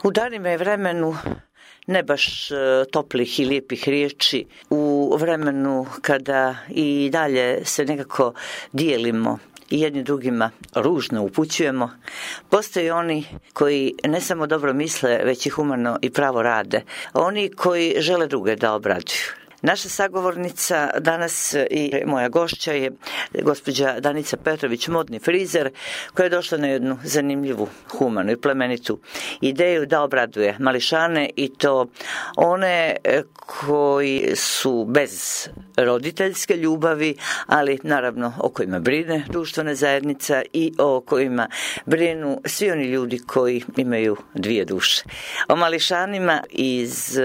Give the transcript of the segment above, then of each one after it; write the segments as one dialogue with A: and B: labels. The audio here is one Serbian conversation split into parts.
A: U danima i vremenu ne baš toplih i lijepih riječi, u vremenu kada i dalje se nekako dijelimo i jedni drugima ružno upućujemo, postoje oni koji ne samo dobro misle, već i humano i pravo rade, oni koji žele druge da obraduju. Naša sagovornica danas i moja gošća je gospođa Danica Petrović, modni frizer, koja je došla na jednu zanimljivu, humanu i plemenitu ideju da obraduje mališane, i to one koji su bez roditeljske ljubavi, ali naravno o kojima brine društvena zajednica i o kojima brinu svi oni ljudi koji imaju dvije duše. O mališanima iz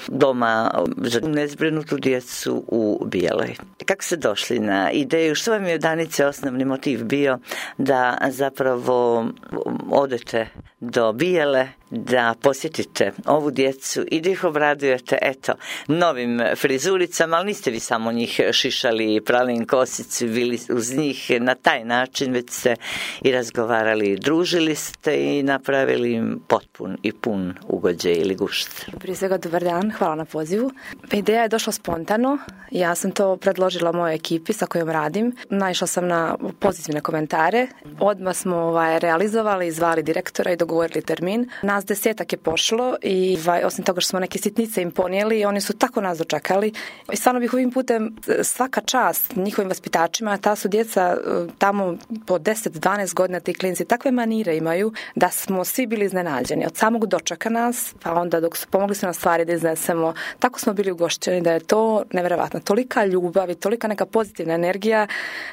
A: doma za nezbrinutu djecu u Bijeloj. Kako ste došli na ideju? Što vam je, Danice, osnovni motiv bio da zapravo odete do Bijele, da posjetite ovu djecu i da ih obradujete, eto, novim frizuricama, ali niste vi samo njih šišali i prali im kosicu, bili uz njih na taj način, već ste i razgovarali, družili ste i napravili im potpun i pun ugođaj ili gušt.
B: Prije svega, dobar dan, hvala na pozivu. Ideja je došla spontano, ja sam to predložila mojoj ekipi sa kojom radim, naišla sam na pozitivne komentare, odmah smo realizovali, zvali direktora i dogovorili termin. Nas 10 je pošlo i osim toga što smo neke sitnice im ponijeli, oni su tako nas dočekali. I stvarno bih ovim putem svaka čast njihovim vaspitačima, ta su djeca tamo po 10-12 godina, ti klinci takve manire imaju da smo svi bili iznenađeni. Od samog dočeka nas, pa onda dok su pomogli su nam stvari da iznesemo, tako smo bili ugošćeni da je to nevjerovatno. Tolika ljubav i tolika neka pozitivna energija,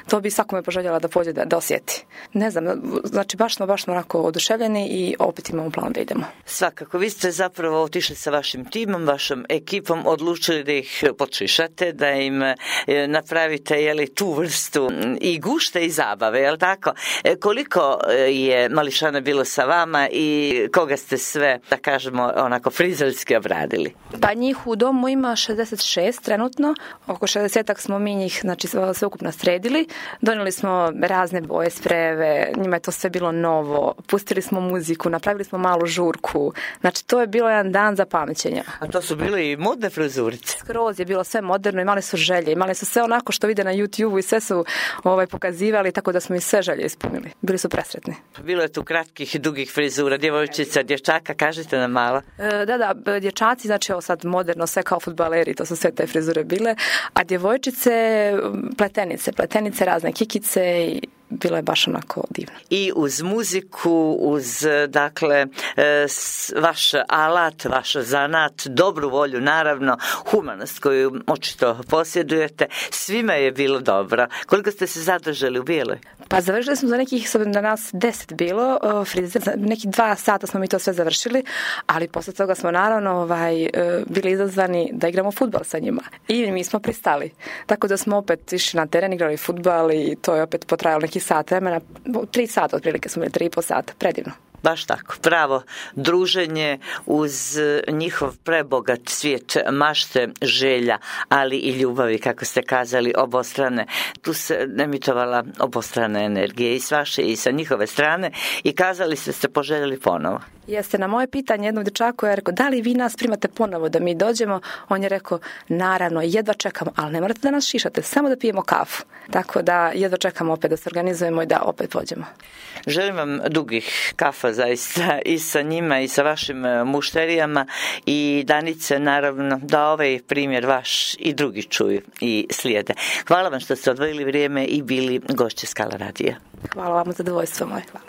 B: to bi svakome poželjela da pođe da osjeti. Ne znam, znači baš smo onako oduševljeni i opet imamo plan da idemo.
A: Svakako, vi ste zapravo otišli sa vašim timom, vašom ekipom, odlučili da ih potšišate, da im napravite tu vrstu i gušta i zabave, je li tako? Koliko je mališana bilo sa vama i koga ste sve, da kažemo, onako frizerski obradili?
B: Pa njih u domu ima 66 trenutno, oko 60-ak smo mi njih, znači sve ukupno sredili, donijeli smo razne boje, sprejeve, njima je to sve bilo novo, pustili smo muziku, napravili smo malu žurku, znači to je bilo jedan dan za pamćenja.
A: A to su bile i modne frizurice?
B: Skroz je bilo sve moderno, imali su želje, imali su sve onako što vide na YouTube i sve su pokazivali, tako da smo i sve želje ispunili. Bili su presretni.
A: Bilo je tu kratkih i dugih frizura, djevojčica, dječaka, kažite nam malo.
B: Da, dječaci, znači ovo sad moderno, sve kao fudbaleri, to su sve te frizure bile, a djevojčice pletenice, razne kikice i bilo je baš onako divno.
A: I uz muziku, uz, dakle, vaš alat, vaš zanat, dobru volju, naravno, humanost koju očito posjedujete, svima je bilo dobro. Koliko ste se zadržali u Bijeloj?
B: Pa završili smo za nekih, da nas 10 bilo, frizer, za nekih 2 sata smo mi to sve završili, ali posle toga smo naravno bili izazvani da igramo fudbal sa njima. I mi smo pristali. Tako da smo opet išli na teren, igrali fudbal i to je opet potrajalo neki sat vremena, 3 sata otprilike smo bili, 3,5 sata, predivno.
A: Baš tako, pravo druženje uz njihov prebogat svijet mašte, želja, ali i ljubavi, kako ste kazali, obostrane. Tu se emitovala obostrana energija i s vaše i sa njihove strane i kazali ste poželjeli ponovo.
B: Jeste, na moje pitanje jednom dječaku je rekao, da li vi nas primate ponovo da mi dođemo? On je rekao, naravno, jedva čekamo, ali ne morate da nas šišate, samo da pijemo kafu. Tako da jedva čekamo opet da se organizujemo i da opet pođemo.
A: Želim vam dugih kafa zaista i sa njima i sa vašim mušterijama i Danice, naravno, da ovaj primjer vaš i drugi čuju i slijede. Hvala vam što ste odvojili vrijeme i bili gošće Skala radija.
B: Hvala vam, zadovoljstvo moje. Hvala.